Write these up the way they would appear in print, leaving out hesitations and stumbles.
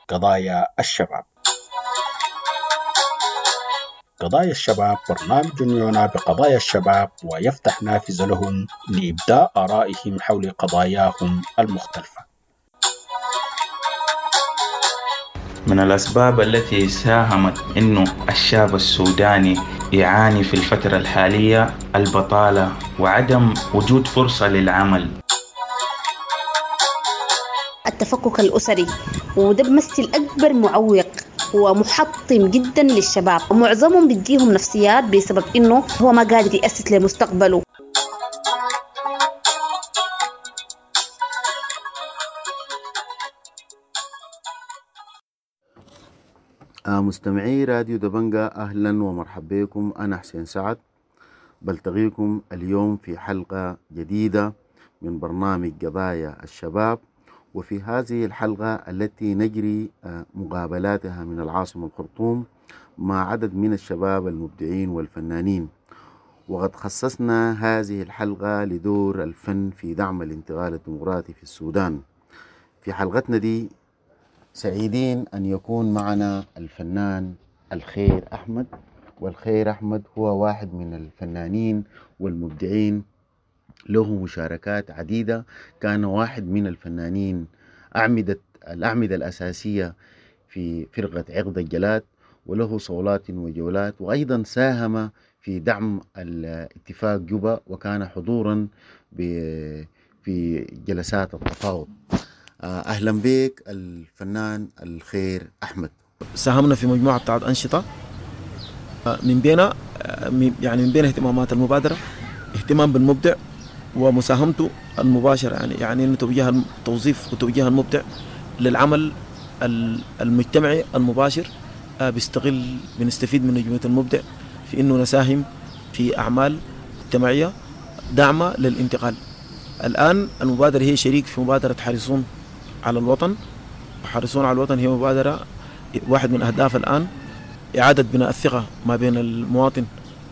قضايا الشباب. قضايا الشباب برنامج يعنى بقضايا الشباب ويفتح نافذة لهم لإبداء آرائهم حول قضاياهم المختلفة. من الأسباب التي ساهمت أنه الشاب السوداني يعاني في الفترة الحالية البطالة وعدم وجود فرصة للعمل. التفكك الأسري، وده بيمثل أكبر معوق ومحطم جدا للشباب، ومعظمهم بتجيهم نفسيات بسبب إنه هو ما قادر يأسس لمستقبله. مستمعي راديو دبنجة، أهلا ومرحبا بكم. أنا حسين سعد، بلتقيكم اليوم في حلقة جديدة من برنامج قضايا الشباب. وفي هذه الحلقة التي نجري مقابلاتها من العاصمة الخرطوم مع عدد من الشباب المبدعين والفنانين، وقد خصصنا هذه الحلقة لدور الفن في دعم الانتقال الديمقراطي في السودان. في حلقتنا دي سعيدين أن يكون معنا الفنان الخير أحمد. والخير أحمد هو واحد من الفنانين والمبدعين، له مشاركات عديدة، كان واحد من الفنانين الأعمدة الأساسية في فرقة عقد الجلاد، وله صولات وجولات، وأيضا ساهم في دعم الاتفاق جوبا، وكان حضورا في جلسات التفاوض. أهلا بك الفنان الخير أحمد. ساهمنا في مجموعة بتاعت أنشطة، من بينها يعني من بين اهتمامات المبادرة اهتمام بالمبدع ومساهمته المباشرة، يعني إنه توجيه التوظيف وتوجيه المبدع للعمل المجتمعي المباشر. بنستفيد من نجمة المبدع في إنه نساهم في أعمال اجتماعية داعمة للانتقال. الآن المبادرة هي شريك في مبادرة حريصون على الوطن. حريصون على الوطن هي مبادرة واحد من أهداف الآن إعادة بناء الثقة ما بين المواطن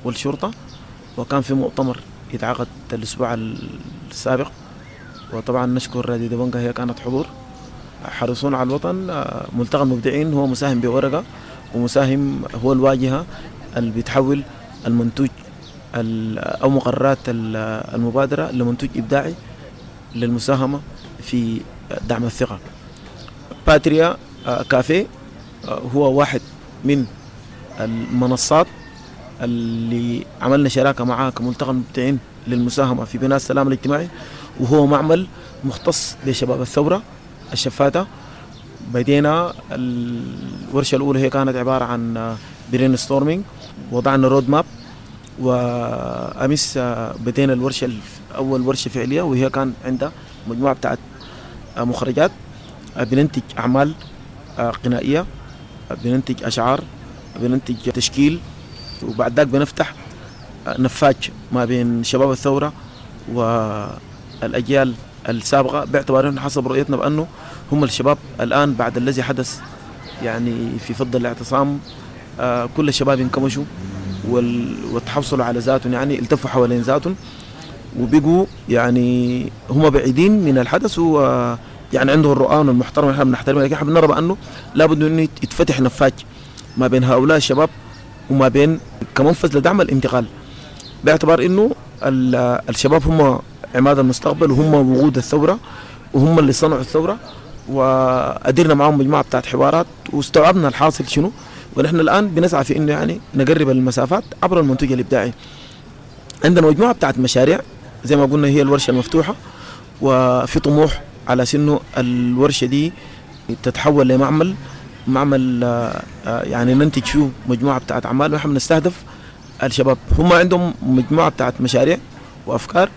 والشرطة، وكان في مؤتمر يتعقد الأسبوع السابق، وطبعا نشكر راديو دبنجة هي كانت حضور. حريصون على الوطن ملتقى المبدعين هو مساهم بورقة، ومساهم هو الواجهة اللي بتحول المنتوج أو مقررات المبادرة لمنتوج إبداعي للمساهمة في دعم الثقة. باتريا كافيه هو واحد من المنصات اللي عملنا شراكة معاه كملتقى المبدعين للمساهمة في بناء السلام الاجتماعي، وهو معمل مختص بشباب الثورة الشفاتة. بدينا الورشة الأولى هي كانت عبارة عن brainstorming، وضعنا road map، وأمس بدينا الورشة أول ورشة فعلية، وهي كان عندها مجموعة بتاعت مخرجات. بننتج أعمال غنائية، بننتج أشعار، بننتج تشكيل، وبعد ذاك بنفتح نفاج ما بين شباب الثورة والأجيال السابقة، باعتبار أنه حسب رؤيتنا بأنه هم الشباب الآن بعد الذي حدث يعني في فض الاعتصام، كل الشباب انكمشوا وتحصلوا على ذاتهم، يعني التفوا حوالين ذاتهم وبقوا يعني هم بعيدين من الحدث، و يعني عندهم الرؤان المحترمة احنا بنحترمها، لكن احنا بنرى بأنه لابد انه يتفتح نفاج ما بين هؤلاء الشباب وما بين كمنفذ لدعم الانتقال، باعتبار انه الشباب هم عماد المستقبل، وهم وقود الثورة، وهم اللي صنعوا الثورة، وأدرنا معهم مجموعة بتاعت حوارات واستوعبنا الحاصل شنو، ونحن الآن بنسعى في إنه يعني نقرب المسافات عبر المنتوج الإبداعي. عندنا مجموعة بتاعت مشاريع زي ما قلنا هي الورشة المفتوحة، وفي طموح على سنه الورشة دي تتحول لمعمل، معمل يعني ننتج فيه مجموعة بتاعت أعمال، ونحن بنستهدف الشباب، هم عندهم مجموعة بتاعت مشاريع وأفكار.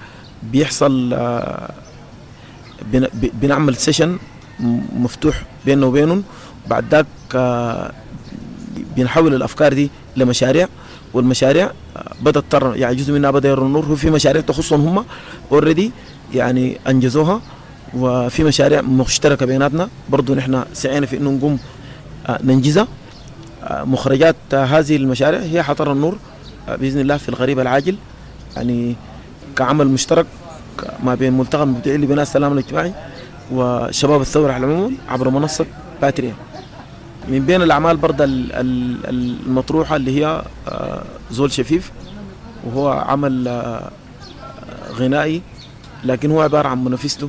بيحصل بنعمل session مفتوح بيننا وبينهم، بعد ذاك بنحول الأفكار دي لمشاريع، والمشاريع بدأت ترى يعني جزء منها بدأ يرى النور. وفي مشاريع تخصهم هم already يعني أنجزوها، وفي مشاريع مشتركة بيناتنا برضو نحن سعينا في إنه نقوم ننجزها. مخرجات هذه المشاريع هي حترى النور بإذن الله في القريب العاجل، يعني كعمل مشترك ما بين ملتقى المبدعين لبناء السلام الاجتماعي وشباب الثورة على العموم عبر منصة باتريا. من بين الأعمال برضه المطروحة اللي هي زول شفيف، وهو عمل غنائي، لكن هو عبارة عن منافسته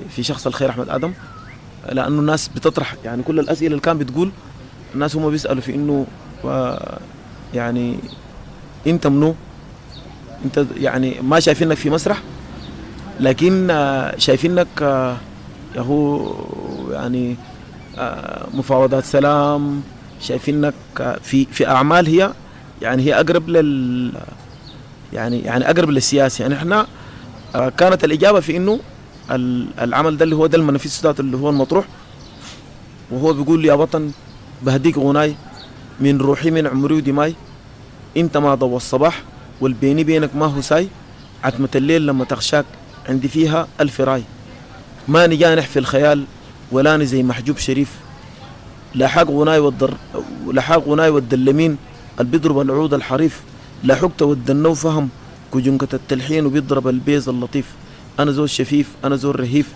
في شخص الخير أحمد آدم، لأنه الناس بتطرح يعني كل الأسئلة اللي كان بتقول الناس هم بيسألوا في إنه يعني أنت منو؟ أنت يعني ما شايفينك في مسرح، لكن شايفينك هو يعني مفاوضات سلام، شايفينك في أعمال هي يعني هي أقرب لل يعني أقرب للسياسة. يعني إحنا كانت الإجابة في إنه العمل ده اللي هو ده المنافيس ذاته اللي هو المطروح، وهو بيقول يا وطن بهديك غناي من روحي من عمري ودماي، انت ما ضوى الصباح والبيني بينك ما هو ساي، عتمة الليل لما تغشاك عندي فيها ألف راي، ماني جانح في الخيال ولاني زي محجوب شريف، لا حاق غناي والدلمين اللي بيضرب العود الحريف، لا حقت والدنو فهم كجنكة التلحين وبيضرب البيز اللطيف، أنا زول شفيف أنا زول رهيف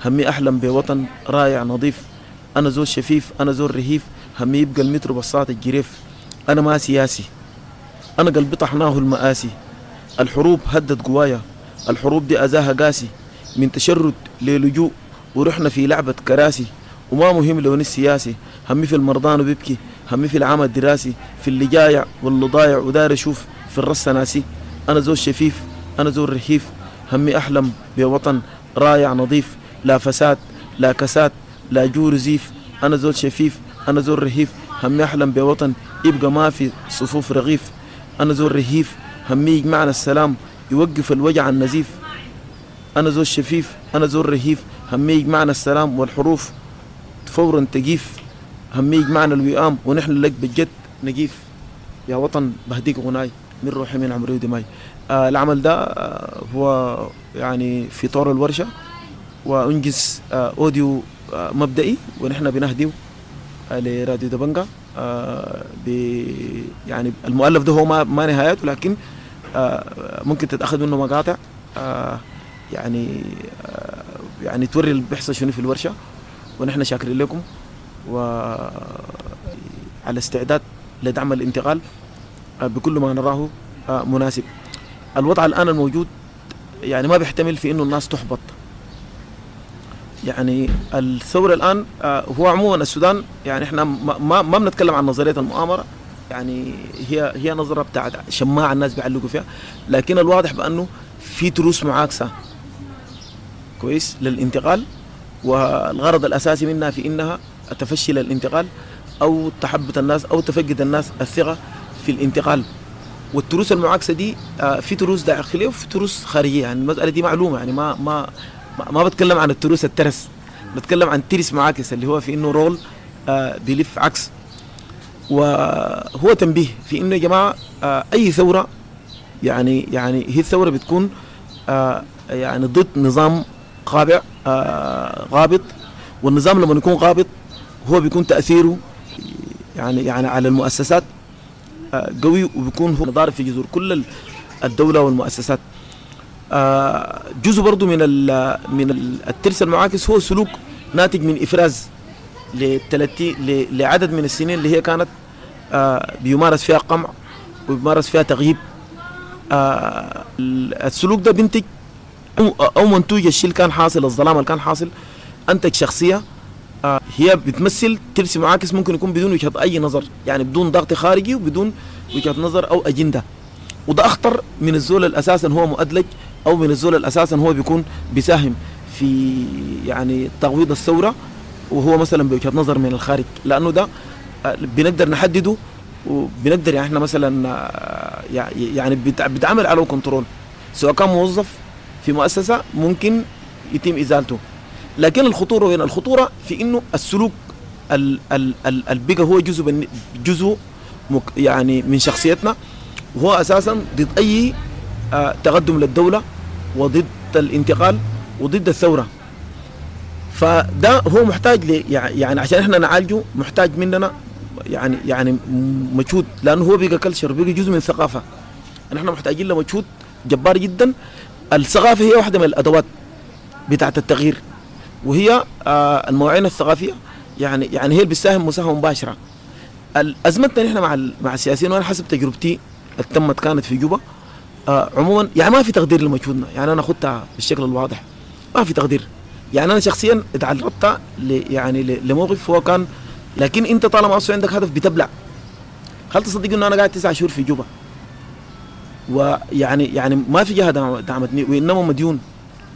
همي أحلم بوطن رايع نظيف، أنا زول شفيف أنا زول رهيف همي يبقى المترو بساط الجريف، أنا ما سياسي أنا قلبي طحناه المآسي، الحروب هدت قوايا الحروب دي أذاها قاسي، من تشرد للجوء ورحنا في لعبة كراسي، وما مهم لون السياسي همي في المرضان وبيبكي همي في العام الدراسي، في اللي جايع واللي ضايع ودار أشوف في الرصة ناسي، أنا زول شفيف أنا زول رهيف همي أحلم بوطن رايع نظيف، لا فساد لا كساد لا جور زيف، أنا زول شفيف أنا زول رهيف همي أحلم بوطن يبقى ما في صفوف رغيف، أنا زول رهيف همي يجمعنا السلام يوقف الوجع النزيف، أنا زول شفيف أنا زول رهيف همي يجمعنا السلام والحروف فورا تجيف، همي يجمعنا الوئام ونحن لك بجد نجيف، يا وطن بهديك غناي من روحي من عمري ودماي. العمل ده هو يعني في طور الورشة، وأنجز audio مبدئي ونحن بنهديه لراديو دبنجا. يعني المؤلف ده هو ما نهايته، لكن ممكن تتأخذ منه مقاطع يعني توري اللي بيحصل شنو في الورشة. ونحن شاكرين لكم وعلى استعداد لدعم الانتقال بكل ما نراه مناسب. الوضع الآن الموجود يعني ما بيحتمل في إنه الناس تحبط. يعني الثورة الآن هو عموما السودان، يعني إحنا ما بنتكلم عن نظرية المؤامرة، يعني هي نظرة بتاعت شماعة الناس بيعلقوا فيها، لكن الواضح بأنه في تروس معاكسة كويس للانتقال، والغرض الأساسي منها في إنها تفشل الانتقال أو تحبط الناس أو تفقد الناس الثقة في الانتقال. والتروس المعاكسة دي في تروس داخلية وفي تروس خارجية، يعني المسألة دي معلومة، يعني ما ما ما بتكلم عن التروس الترس، بتكلم عن ترس معاكس اللي هو في إنه رول بيلف عكس. وهو تنبيه في إنه يا جماعة أي ثورة يعني هي الثورة بتكون يعني ضد نظام قابع غابط، والنظام لما يكون غابط هو بيكون تأثيره يعني على المؤسسات قوي، وبيكون هو ضارب في جذور كل الدولة والمؤسسات. جزء برضو من الترس المعاكس هو سلوك ناتج من إفراز لعدد من السنين اللي هي كانت بيمارس فيها قمع وبيمارس فيها تغييب. السلوك ده بينتج أو منتوج الشيء اللي كان حاصل، الظلام اللي كان حاصل، أنتج شخصية هي بتمثل ترس معاكس، ممكن يكون بدون وجهة أي نظر، يعني بدون ضغط خارجي وبدون وجهة نظر أو أجندة. وده أخطر من الزول الأساسا هو مؤدلج، أو من الزول الأساسا هو بيكون بيساهم في يعني تغويض الثورة وهو مثلا بوجهة نظر من الخارج، لأنه ده بنقدر نحدده وبنقدر يعني احنا مثلا يعني بتعمل على كنترول، سواء كان موظف في مؤسسة ممكن يتم إزالته. لكن الخطورة وين؟ الخطورة في إنه السلوك البقى هو جزء يعني من شخصيتنا، وهو أساسا ضد أي تقدم للدولة وضد الانتقال وضد الثورة. فده هو محتاج يعني عشان احنا نعالجه محتاج مننا يعني مجهود، لأنه هو بقى كلتشر، بقى جزء من الثقافة. نحن محتاجين لمجهود جبار جدا. الثقافة هي واحدة من الأدوات بتاعة التغيير، وهي المواعين الثقافية يعني هي اللي بتساهم مساهمة مباشرة. ازمتنا نحن مع السياسيين، وانا حسب تجربتي التمت كانت في جوبا، عموما يعني ما في تقدير لمجهودنا. يعني انا اخذتها بالشكل الواضح، ما في تقدير. يعني انا شخصيا اتعرضت يعني لموقف هو كان، لكن انت طالما اصلا عندك هدف بتبلع. هل تصدق انه انا قاعد 9 شهور في جوبا، ويعني يعني ما في جهة دعمتني، وانما مديون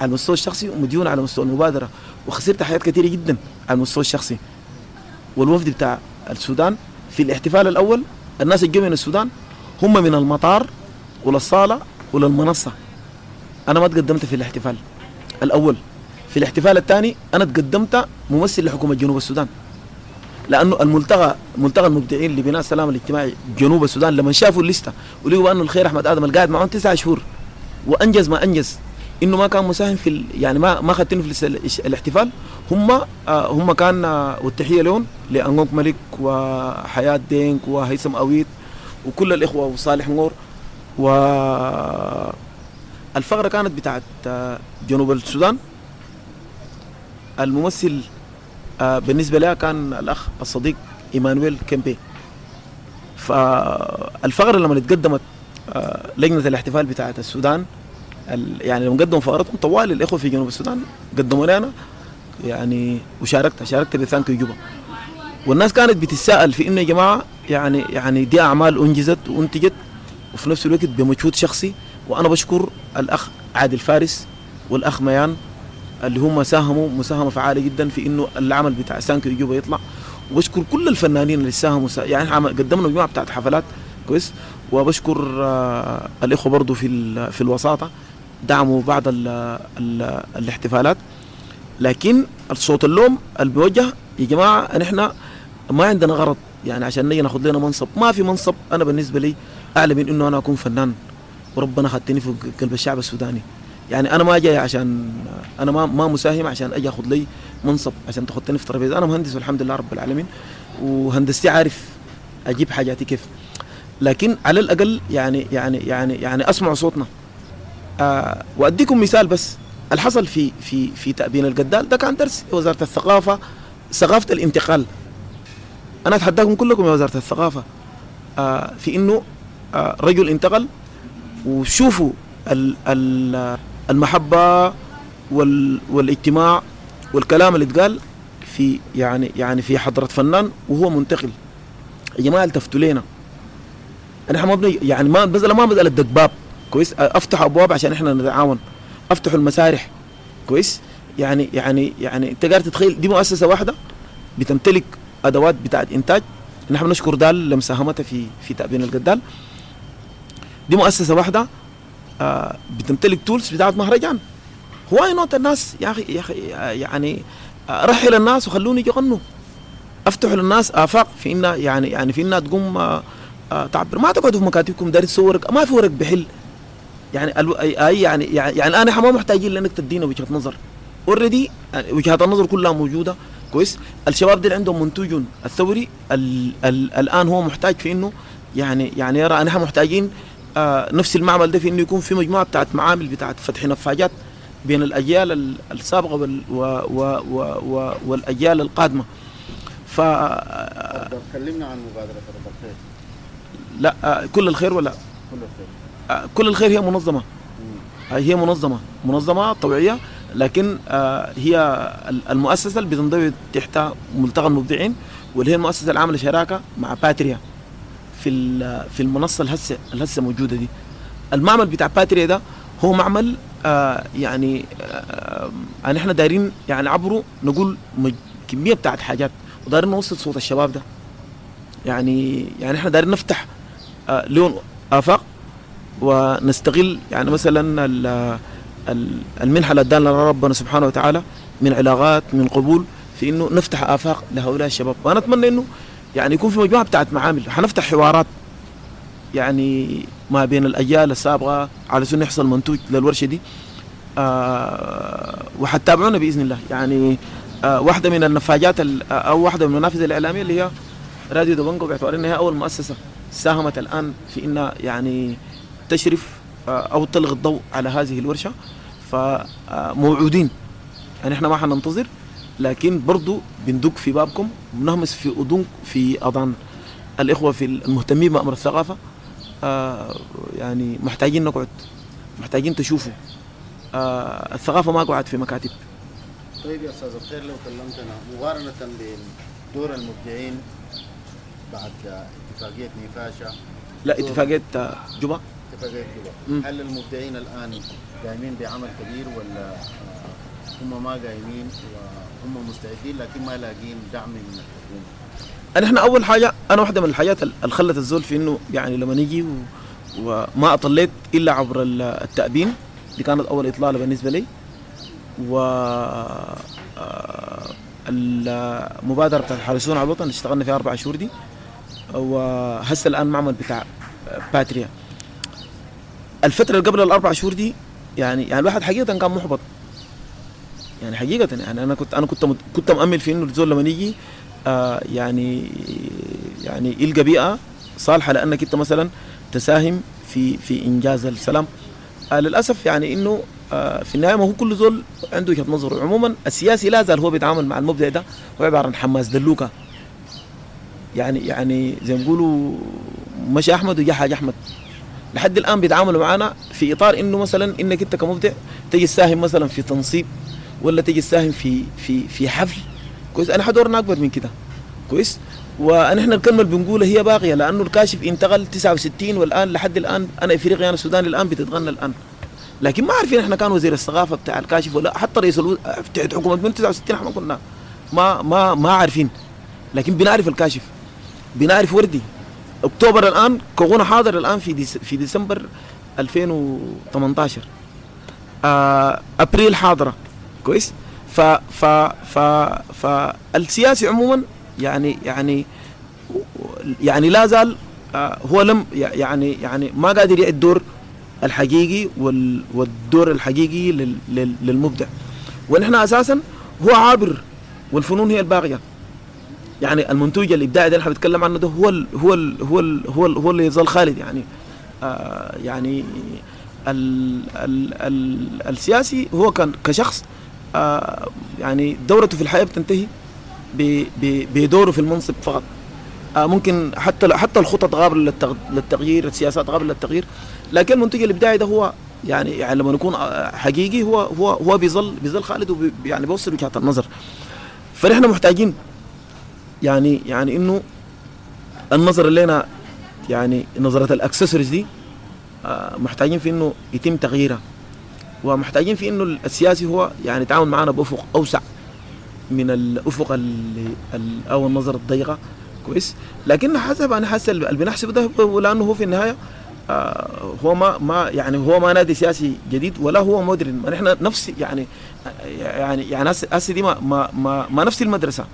على المستوى الشخصي ومديون على مستوى المبادرة، وخسرت حاجات كثيرة جدا على المستوى الشخصي. والوفد بتاع السودان في الاحتفال الاول، الناس اللي جو من السودان هم من المطار ولا الصاله ولا المنصة. انا ما تقدمت في الاحتفال الاول. في الاحتفال الثاني انا تقدمت ممثل لحكومة جنوب السودان، لانه الملتقى، ملتقى المبدعين لبناء السلام الاجتماعي جنوب السودان، لما شافوا الليستة ولقوا انه الخير احمد ادم القاعد معهم 9 شهور وانجز ما انجز، انه ما كان مساهم في يعني ما خدتنه في الاحتفال. هم كان، والتحيه لهم لانغونك ملك وحياه دينك وهيثم اويت وكل الاخوة وصالح نور. والفقرة كانت بتاعت جنوب السودان، الممثل بالنسبة لها كان الاخ الصديق ايمانويل كيمبي. فالفقره لما اتقدمت لجنة الاحتفال بتاعت السودان، يعني لما قدموا فقرتهم طوال الاخوة في جنوب السودان قدموا لنا يعني، وشاركت ب Thank you جوبا. والناس كانت بتتساءل في انه يا جماعة يعني دي اعمال انجزت وانتجت وفي نفس الوقت بمجهود شخصي. وانا بشكر الاخ عادل فارس والاخ ميان اللي هم ساهموا مساهمة فعاله جدا في انه العمل بتاع Thank you جوبا يطلع. وبشكر كل الفنانين اللي ساهموا، يعني قدمنا مجموعة بتاعت حفلات كويس. وبشكر الاخوة برضو في الوساطة دعموا بعض ال ال الاحتفالات. لكن الصوت اللوم الموجه يا جماعة، نحن ما عندنا غرض يعني عشان نجي ناخذ لنا منصب، ما في منصب. انا بالنسبة لي اعلى من انه انا اكون فنان، وربنا خدتني في قلب الشعب السوداني. يعني انا ما جاي عشان انا ما مساهم عشان اجي اخذ لي منصب عشان تاخذني في ترابيزة. انا مهندس والحمد لله رب العالمين، وهندستي عارف اجيب حاجاتي كيف، لكن على الاقل يعني يعني يعني يعني اسمعوا صوتنا. واديكم مثال بس، الحصل في في في تأبين القدال ده كان درس وزارة الثقافة، ثقافة الانتقال. انا اتحداكم كلكم يا وزارة الثقافة في انه رجل انتقل، وشوفوا المحبة والاجتماع والكلام اللي اتقال في يعني في حضره فنان وهو منتقل. يا جماعة التفتوا لينا، احنا ما بني يعني ما مسالة دق باب كويس، افتحوا ابواب عشان احنا نتعاون، افتحوا المسارح كويس. يعني يعني يعني انت قاعد تتخيل دي مؤسسة واحدة بتمتلك ادوات بتاعت انتاج. نحن بنشكر دال لمساهمتها في تأبين القدال. دي مؤسسة واحدة بتمتلك tools بتاعت مهرجان. why not الناس يا اخي يا اخي يعني رحل الناس وخلوني يغنوا، افتحوا للناس افاق في انها يعني في انها تقوم تعبر. ما تقعدوا في مكاتبكم داري تصور، ما في ورق بحل. يعني اي يعني يعني الان احنا ما محتاجين لانك تدينا وجهه نظر، already وجهات النظر كلها موجودة كويس. الشباب دي عندهم منتوج الثوري ال ال الان هو محتاج في انه يعني يرى نحن محتاجين نفس المعمل ده في انه يكون في مجموعة بتاعت معامل بتاعت فتح نفاجات بين الاجيال السابقة وال و و و والاجيال القادمة. ف كلمنا عن مبادرة رب الخير. لا كل الخير ولا كل الخير؟ كل الخير هي منظمة، هي منظمة طوعيه، لكن هي المؤسسة اللي بتنضوي تحت ملتقى المبدعين، واللي هي المؤسسة العاملة شراكة مع باتريا في المنصة الهسه موجودة دي. المعمل بتاع باتريا ده هو معمل يعني احنا دايرين يعني عبره نقول كمية بتاعت حاجات، ودايرين نوصل صوت الشباب ده. يعني احنا دايرين نفتح لون افاق ونستغل يعني مثلا المنحة اللي ادانا ربنا سبحانه وتعالى من علاقات من قبول في انه نفتح افاق لهؤلاء الشباب. وانا اتمنى انه يعني يكون في مجموعة بتاعت معامل، حنفتح حوارات يعني ما بين الاجيال السابقة على اساس يحصل منتوج للورشه دي. وحتابعونا باذن الله. يعني واحدة من النفاجات او واحدة من المنافذ الاعلامية اللي هي راديو دبنجو، باعتبار انها اول مؤسسة ساهمت الان في انها يعني تشرف او تلغي الضوء على هذه الورشة. فموعودين يعني احنا ما حننتظر، لكن برضو بندق في بابكم، بنهمس في أذن في أذان الإخوة في المهتمين بأمر الثقافة. يعني محتاجين نقعد، محتاجين تشوفوا الثقافة ما قعدت في مكاتب. طيب يا أستاذ الخير، لو كلمتنا مقارنة بين دور المبدعين بعد اتفاقية نيفاشا، لا اتفاقية جوبا، اتفاقية جوبا، هل المبدعين الآن قايمين بعمل كبير ولا هم ما قايمين وهم مستعدين لكن ما لاقين دعم من الحكومة؟ نحن أول حاجة، أنا واحدة من الحاجات اللي خلت الزول في إنه يعني لما نيجي وما أطليت إلا عبر التأبين، دي كانت أول إطلالة بالنسبة لي، و المبادرة بتاعت الحارسون على الوطن اللي اشتغلنا فيها 4 شهور دي، وهسه الآن معمل بتاع باتريا. الفترة اللي قبل 4 شهور دي يعني الواحد حقيقة كان محبط، يعني حقيقة يعني أنا كنت مأمل في إنه الزول لما يجي يعني يلقى بيئة صالحة لأنك أنت مثلا تساهم في إنجاز السلام. للأسف يعني إنه في النهاية ما هو كل زول عنده وجهة نظره. عموما السياسي لا زال هو بيتعامل مع المبدع ده هو عبارة عن حماس دلوكة، يعني زي ما بيقولوا مشى أحمد وجا حاج أحمد. لحد الآن بيتعاملوا معنا في إطار إنه مثلا إنك أنت كمبدع تيجي تساهم مثلا في تنصيب، ولا تيجي تساهم في في في حفل. كويس، أنا حدورنا أكبر من كده. كويس، ونحن الكلمة اللي بنقولها هي باقية، لأنه الكاشف انتقل 69 والآن لحد الآن أنا إفريقيا أنا السودان الآن بتتغنى الآن، لكن ما عارفين احنا كان وزير الثقافة بتاع الكاشف ولا حتى رئيس حكومة من 69 احنا كنا ما ما ما عارفين، لكن بنعرف الكاشف، بنعرف وردي. اكتوبر الآن كورونا حاضر الآن في ديسمبر 2018، ابريل حاضرة. كويس، ف ف ف فالسياسي عموما يعني يعني يعني لا زال هو لم يعني ما قادر يعد الدور الحقيقي والدور الحقيقي للمبدع. ونحن اساسا هو عابر، والفنون هي الباقية. يعني المنتوج الابداعي ده اللي احنا بنتكلم عنه ده هو ال هو ال هو ال هو, ال هو اللي يظل خالد. يعني يعني ال ال ال السياسي هو كان كشخص يعني دورته في الحياة بتنتهي بدوره في المنصب فقط. ممكن حتى الخطط قابله للتغيير، السياسات قابله للتغيير، لكن المنتج الابداعي ده هو يعني لما يكون حقيقي هو هو هو بيظل خالد، يعني بيوصل وجهة النظر. فنحن محتاجين يعني انه النظر اللي لنا يعني نظرة الاكسسوارز دي محتاجين في انه يتم تغييرها، ومحتاجين في انه السياسي هو يعني يتعامل معنا بافق اوسع من الافق او النظرة الضيقة. كويس، لكن حسب انا حاسس اللي بنحسبه ده، لانه هو في النهاية هو ما يعني هو ما نادي سياسي جديد ولا هو مودرن. ما نحن نفس يعني يعني يعني هسه دي ما ما ما نفس المدرسة،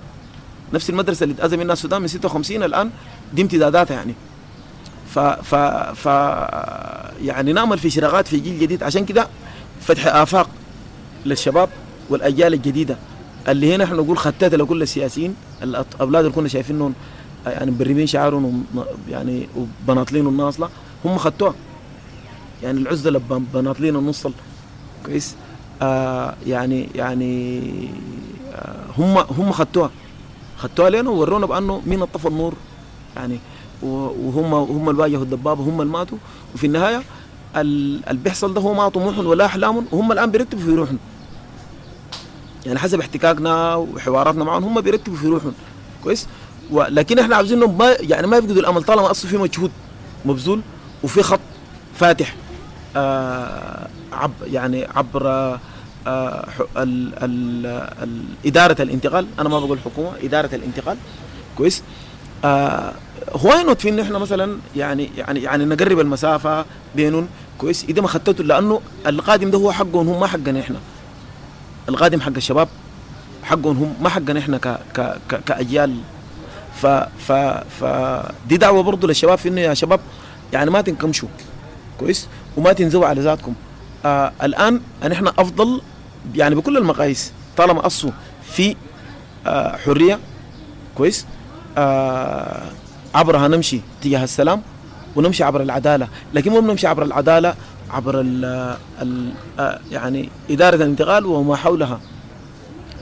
نفس المدرسة اللي اتأذى منها السودان من 56 الان دي امتداداتها يعني. ف ف ف يعني نعمل في شراغات في جيل جديد، عشان كده فتح آفاق للشباب والأجيال الجديدة اللي هنا احنا نقول خطات لكل السياسيين، الأولاد اللي كنا شايفينهم يعني مبرمين شعارهم يعني وبناطلين الناصلة هم خدتوها، يعني العزلة بناطلين النصل. كويس، يعني هم خدتوها لنا وورونا بأنه مين الطفى النور يعني، وهم اللي واجهوا الدبابة، هم اللي ماتوا. وفي النهاية اللي بيحصل ده هو ما طموحهم ولا أحلامهم، وهم الآن بيرتبوا في روحهم. يعني حسب احتكاكنا وحواراتنا معهم هم بيرتبوا في روحهم. كويس، ولكن احنا عاوزينهم ما يعني ما يفقدوا الامل، طالما اصلا في مجهود مبذول وفي خط فاتح يعني عبر إدارة الانتقال. أنا ما بقول حكومة، إدارة الانتقال. كويس، هو not في إنه إحنا مثلا يعني يعني يعني نقرب المسافة بينهم. كويس، إذا ما خططوا، لأنه القادم ده هو حقهم هم، ما حقنا إحنا. القادم حق الشباب حقهم هم، ما حقنا إحنا ك ك ك كأجيال. ف ف ف دي دعوة برضو للشباب في إنه يا شباب يعني ما تنكمشوا. كويس، وما تنزوا على ذاتكم. الآن نحن أفضل يعني بكل المقاييس، طالما أصوا في حرية. كويس، عبرها نمشي تجاه السلام ونمشي عبر العدالة، لكن مو بنمشي عبر العدالة عبر ال ال يعني إدارة الانتقال وما حولها.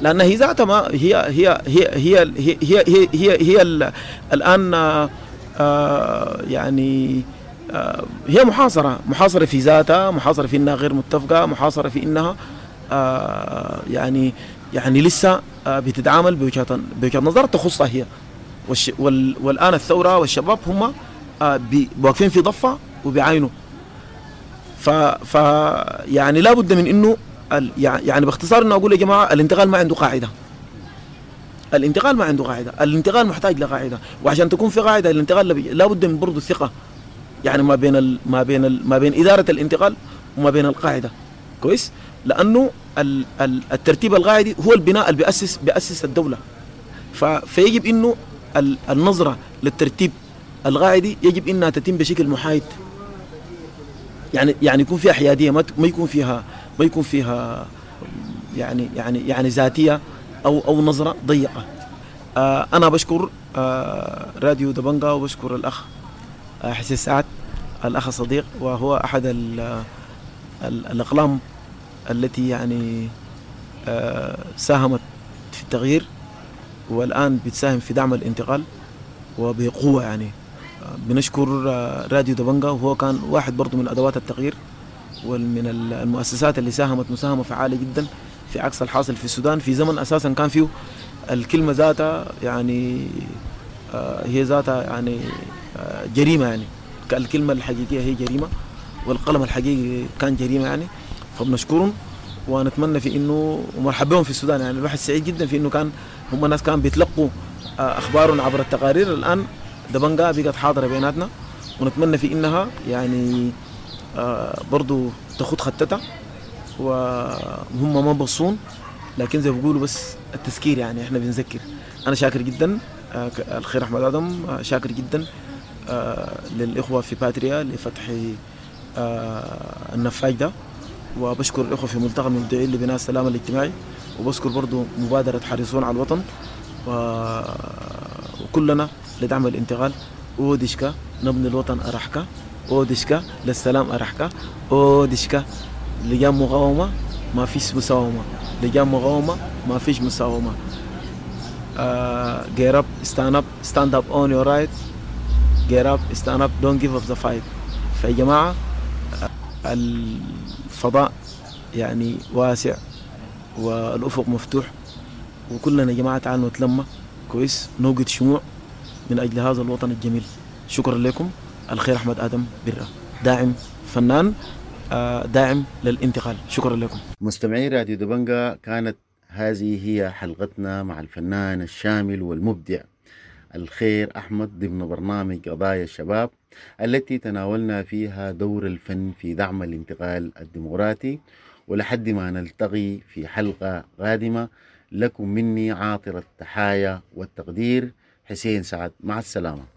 لان هي ذاتها ما هي هي هي هي هي هي هي, هي, هي الان يعني هي محاصرة، محاصرة في ذاتها، محاصرة في انها غير متفقه، محاصرة في انها يعني لسه بتتعامل بوجهه نظر تخصها هي. والان الثورة والشباب هم واقفين في ضفه وبيعاينوا. ف يعني لابد من انه يعني باختصار انه اقول يا جماعة الانتقال ما عنده قاعدة. الانتقال ما عنده قاعدة، الانتقال محتاج لقاعدة، وعشان تكون في قاعدة الانتقال لابد من برضه الثقة، يعني ما بين ال ما بين ال ما بين ادارة الانتقال وما بين القاعدة. كويس؟ لانه الترتيب القاعدي هو البناء اللي بيأسس الدولة. فيجب انه النظرة للترتيب القاعدي يجب انها تتم بشكل محايد، يعني يكون فيها حيادية، ما يكون فيها يعني يعني يعني ذاتية او نظره ضيقه. انا بشكر راديو دبنجا، وبشكر الاخ حسين سعد، الاخ الصديق، وهو احد الاقلام التي يعني ساهمت في التغيير، والان بتساهم في دعم الانتقال وبقوة. يعني بنشكر راديو دبنجا، وهو كان واحد برضو من أدوات التغيير ومن المؤسسات اللي ساهمت مساهمة فعالة جدا في عكس الحاصل في السودان في زمن أساسا كان فيه الكلمة ذاتها يعني هي ذاتها يعني جريمة، يعني الكلمة الحقيقية هي جريمة والقلم الحقيقي كان جريمة يعني. فبنشكرهم ونتمنى في إنه ومرحبا بهم في السودان. يعني الواحد سعيد جدا في إنه كان هم ناس كان بيتلقوا أخبارهم عبر التقارير، الآن دبنجا بقت حاضرة بيناتنا، ونتمنى في إنها يعني برضو تاخد خطتها، وهم ما بصون، لكن زي ما بيقولوا بس التذكير، يعني احنا بنذكر. أنا شاكر جدا الخير أحمد آدم، شاكر جدا للإخوة في باتريا لفتح النفاج ده، وبشكر الإخوة في ملتقى المبدعين لبناء السلام الاجتماعي، وبشكر برضو مبادرة حريصون على الوطن، وكلنا لدعم الانتقال. أودشكا نبني الوطن أرحكا، أودشكا للسلام أرحكا، أودشكا لجان مقاومة ما فيش مساومة، لجان مقاومة ما فيش مساومة. Get up, stand up, stand up on your right. Get up, stand up, don't give up the fight. فيا جماعة الفضاء يعني واسع والأفق مفتوح، وكلنا يا جماعة تعالوا نتلمى كويس، نوقد شموع من أجل هذا الوطن الجميل. شكرا لكم. الخير أحمد آدم برة، داعم فنان، داعم للانتقال. شكرا لكم. مستمعي راديو دبنجا، كانت هذه هي حلقتنا مع الفنان الشامل والمبدع الخير أحمد ضمن برنامج قضايا الشباب، التي تناولنا فيها دور الفن في دعم الانتقال الديمقراطي. ولحد ما نلتقي في حلقة قادمة، لكم مني عاطر التحايا والتقدير، حسين سعد. مع السلامة.